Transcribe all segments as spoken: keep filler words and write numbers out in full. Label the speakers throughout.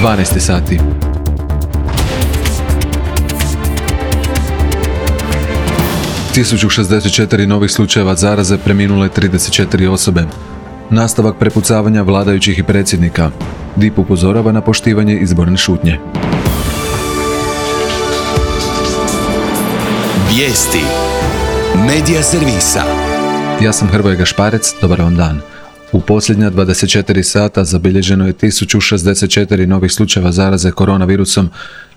Speaker 1: dvanaest sati. tisuću šezdeset četiri novih slučajeva zaraze, preminule trideset četiri osobe. Nastavak prepucavanja vladajućih i predsjednika. D I P upozorava na poštivanje izborne šutnje.
Speaker 2: Vijesti Medija servisa.
Speaker 1: Ja sam Hrvoje Gašparec, dobar vam dan. U posljednja dvadeset četiri sata zabilježeno je tisuću šezdeset četiri novih slučajeva zaraze koronavirusom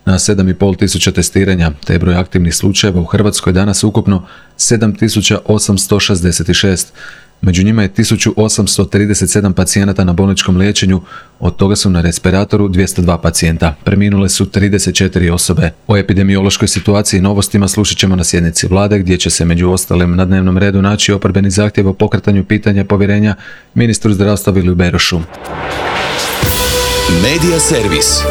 Speaker 1: na sedam i pol tisuća testiranja, te je broj aktivnih slučajeva u Hrvatskoj danas ukupno sedam tisuća osamsto šezdeset šest. Među njima je tisuću osamsto trideset sedam pacijenata na bolničkom liječenju, od toga su na respiratoru dvjesto dva pacijenta. Preminule su trideset četiri osobe. O epidemiološkoj situaciji i novostima slušat ćemo na sjednici vlade, gdje će se među ostalim na dnevnom redu naći oporbeni zahtjev o pokretanju pitanja povjerenja ministru zdravstva Viliju Berošu.
Speaker 2: Medija servis.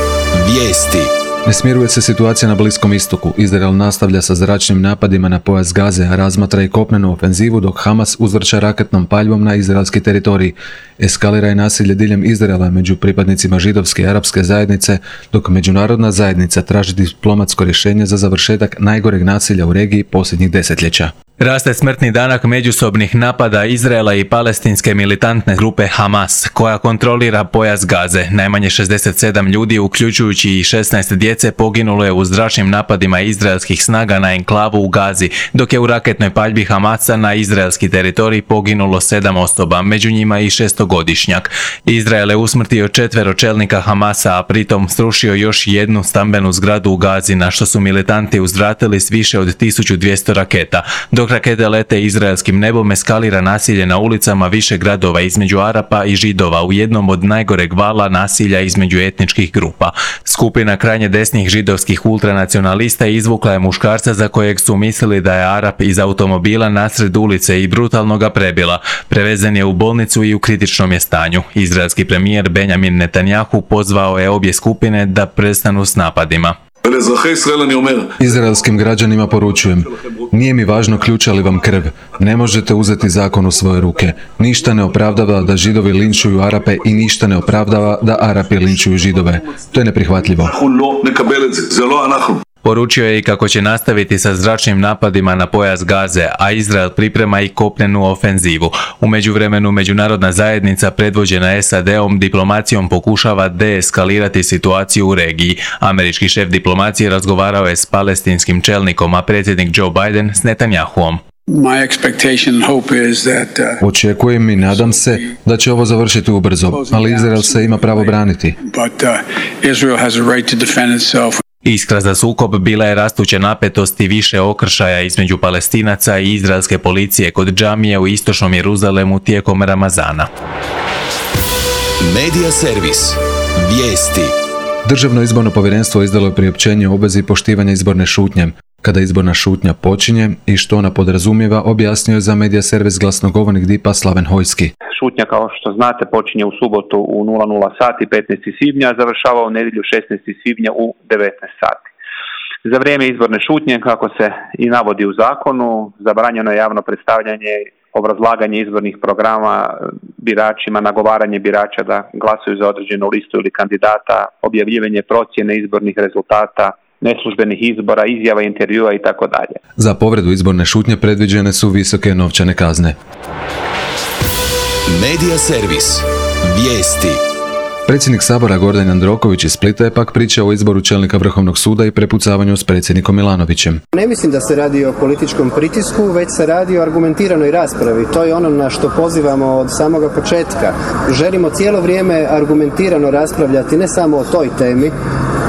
Speaker 2: Vijesti.
Speaker 1: Ne smiruje se situacija na Bliskom istoku. Izrael nastavlja sa zračnim napadima na pojas Gaze, a razmatra i kopnenu ofenzivu, dok Hamas uzvrća raketnom paljbom na izraelski teritorij. Eskalira i nasilje diljem Izraela među pripadnicima židovske i arapske zajednice, dok međunarodna zajednica traži diplomatsko rješenje za završetak najgoreg nasilja u regiji posljednjih desetljeća.
Speaker 3: Raste smrtni danak međusobnih napada Izraela i palestinske militantne grupe Hamas, koja kontrolira pojas Gaze. Najmanje šezdeset sedam ljudi, uključujući i šesnaest djece, poginulo je u zračnim napadima izraelskih snaga na enklavu u Gazi, dok je u raketnoj paljbi Hamasa na izraelski teritorij poginulo sedam osoba, među njima i šestogodišnjak. Izrael je usmrtio četvero čelnika Hamasa, a pritom srušio još jednu stambenu zgradu u Gazi, na što su militanti uzvratili s više od tisuću dvjesto raketa. Dok rakete lete izraelskim nebom, eskalira nasilje na ulicama više gradova između Arapa i Židova u jednom od najgoreg vala nasilja između etničkih grupa. Skupina krajnje desnih židovskih ultranacionalista izvukla je muškarca za kojeg su mislili da je Arap iz automobila nasred ulice i brutalno ga prebila. Prevezen je u bolnicu i u kritičnom je stanju. Izraelski premijer Benjamin Netanjahu pozvao je obje skupine da prestanu s napadima.
Speaker 1: Izraelskim građanima poručujem, nije mi važno ključa li vam krv, ne možete uzeti zakon u svoje ruke. Ništa ne opravdava da Židovi linčuju Arape i ništa ne opravdava da Arapi linčuju Židove. To je neprihvatljivo.
Speaker 3: Poručio je i kako će nastaviti sa zračnim napadima na pojas Gaze, a Izrael priprema i kopnenu ofenzivu. U međuvremenu međunarodna zajednica predvođena S A D-om diplomacijom pokušava deeskalirati situaciju u regiji. Američki šef diplomacije razgovarao je s palestinskim čelnikom, a predsjednik Joe Biden s Netanjahuom.
Speaker 1: Očekujem i nadam se da će ovo završiti ubrzo, ali Izrael se ima pravo braniti.
Speaker 3: Iskra za sukob bila je rastuća napetost i više okršaja između Palestinaca i izraelske policije kod džamije u istočnom Jeruzalemu tijekom Ramazana.
Speaker 2: Medija servis. Vijesti.
Speaker 1: Državno izborno povjerenstvo izdalo je priopćenje o obvezi poštivanja izborne šutnje. Kada izborna šutnja počinje i što ona podrazumijeva, objasnio je za Medija servis glasnogovornik D I P-a Slaven Hojski.
Speaker 4: Šutnja, kao što znate, počinje u subotu u nula nula sati petnaestog svibnja, a završava u nedjelju šesnaestog svibnja u devetnaest sati. Za vrijeme izborne šutnje, kako se i navodi u zakonu, zabranjeno je javno predstavljanje, obrazlaganje izbornih programa biračima, nagovaranje birača da glasuju za određenu listu ili kandidata, objavljivanje procjene izbornih rezultata, neslužbenih izbora, izjava, intervjua i tako dalje.
Speaker 1: Za povredu izborne šutnje predviđene su visoke novčane kazne.
Speaker 2: Medija servis. Vijesti.
Speaker 1: Predsjednik Sabora Gordan Jandroković iz Splita je pak pričao o izboru čelnika Vrhovnog suda i prepucavanju s predsjednikom Milanovićem.
Speaker 5: Ne mislim da se radi o političkom pritisku, već se radi o argumentiranoj raspravi. To je ono na što pozivamo od samoga početka. Želimo cijelo vrijeme argumentirano raspravljati ne samo o toj temi,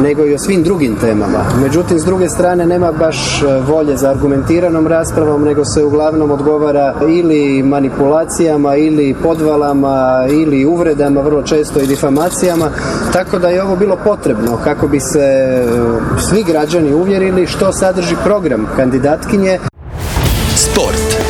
Speaker 5: nego i o svim drugim temama. Međutim, s druge strane nema baš volje za argumentiranom raspravom, nego se uglavnom odgovara ili manipulacijama, ili podvalama, ili uvredama, vrlo često i difamacijama, tako da je ovo bilo potrebno kako bi se svi građani uvjerili što sadrži program kandidatkinje.
Speaker 2: Sport.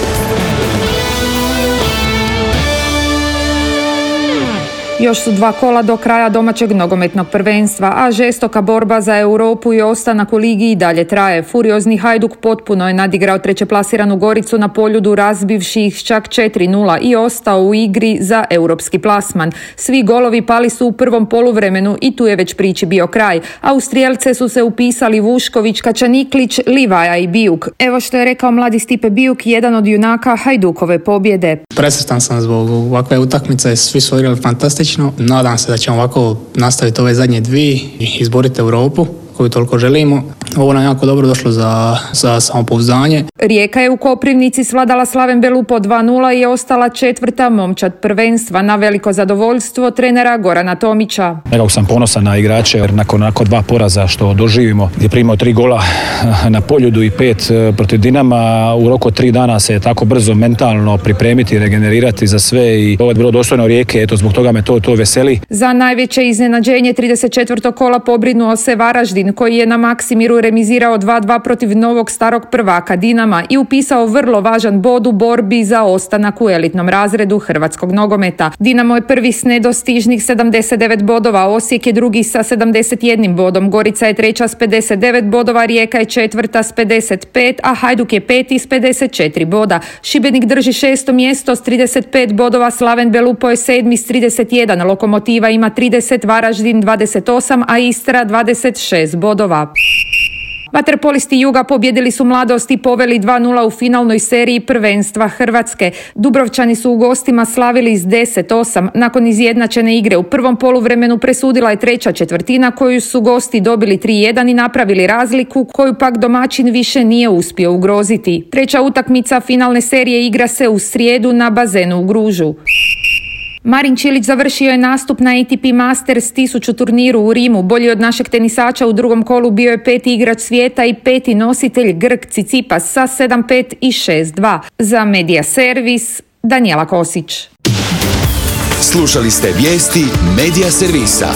Speaker 6: Još su dva kola do kraja domaćeg nogometnog prvenstva, a žestoka borba za Europu i ostanak u ligi i dalje traje. Furiozni Hajduk potpuno je nadigrao trećeplasiranu Goricu na Poljudu, razbivši ih čak četiri nula i ostao u igri za europski plasman. Svi golovi pali su u prvom poluvremenu i tu je već priči bio kraj. A u strijelce su se upisali Vušković, Kačaniklić, Livaja i Bijuk. Evo što je rekao mladi Stipe Bijuk, jedan od junaka Hajdukove pobjede.
Speaker 7: Presretan sam zbog ovakve utakmice, svi su igrali fantastično. Nadam se da ćemo ovako nastaviti ove zadnje dvije i izboriti Europu koju toliko želimo. Ovo nam jako dobro došlo za, za samopouzdanje.
Speaker 6: Rijeka je u Koprivnici svladala Slaven Belupo dva nula i je ostala četvrta momčad prvenstva na veliko zadovoljstvo trenera Gorana Tomića.
Speaker 8: Nekako sam ponosan na igrače jer nakon, nakon dva poraza što doživimo, gdje primimo tri gola na Poljudu i pet protiv Dinama, u roku tri dana se tako brzo mentalno pripremiti, regenerirati za sve i ovo je bilo dostojno Rijeke, eto zbog toga me to, to veseli.
Speaker 6: Za najveće iznenađenje trideset četvrtog kola pobrinuo se Varaždin, koji je na Maksimiru remizirao dva dva protiv novog starog prvaka Dinama i upisao vrlo važan bod u borbi za ostanak u elitnom razredu hrvatskog nogometa. Dinamo je prvi s nedostižnih sedamdeset devet bodova, Osijek je drugi sa sedamdeset jednim bodom, Gorica je treća s pedeset devet bodova, Rijeka je četvrta s pedeset pet, a Hajduk je peti s pedeset četiri boda. Šibenik drži šesto mjesto s trideset pet bodova, Slaven Belupo je sedmi s trideset jedan, Lokomotiva ima trideset, Varaždin dvadeset osam, a Istra dvadeset šest bodova. Vaterpolisti Juga pobjedili su Mladost i poveli dva nula u finalnoj seriji prvenstva Hrvatske. Dubrovčani su u gostima slavili s deset osam. Nakon izjednačene igre u prvom poluvremenu presudila je treća četvrtina koju su gosti dobili tri jedan i napravili razliku koju pak domaćin više nije uspio ugroziti. Treća utakmica finalne serije igra se u srijedu na bazenu u Gružu. Marin Čilić završio je nastup na A T P Masters tisuću turniru u Rimu. Bolji od našeg tenisača u drugom kolu bio je peti igrač svijeta i peti nositelj Grk Tsitsipas sa sedam pet i šest dva. Za Media Servis, Danijela Kosić.
Speaker 2: Slušali ste vijesti Media Servisa.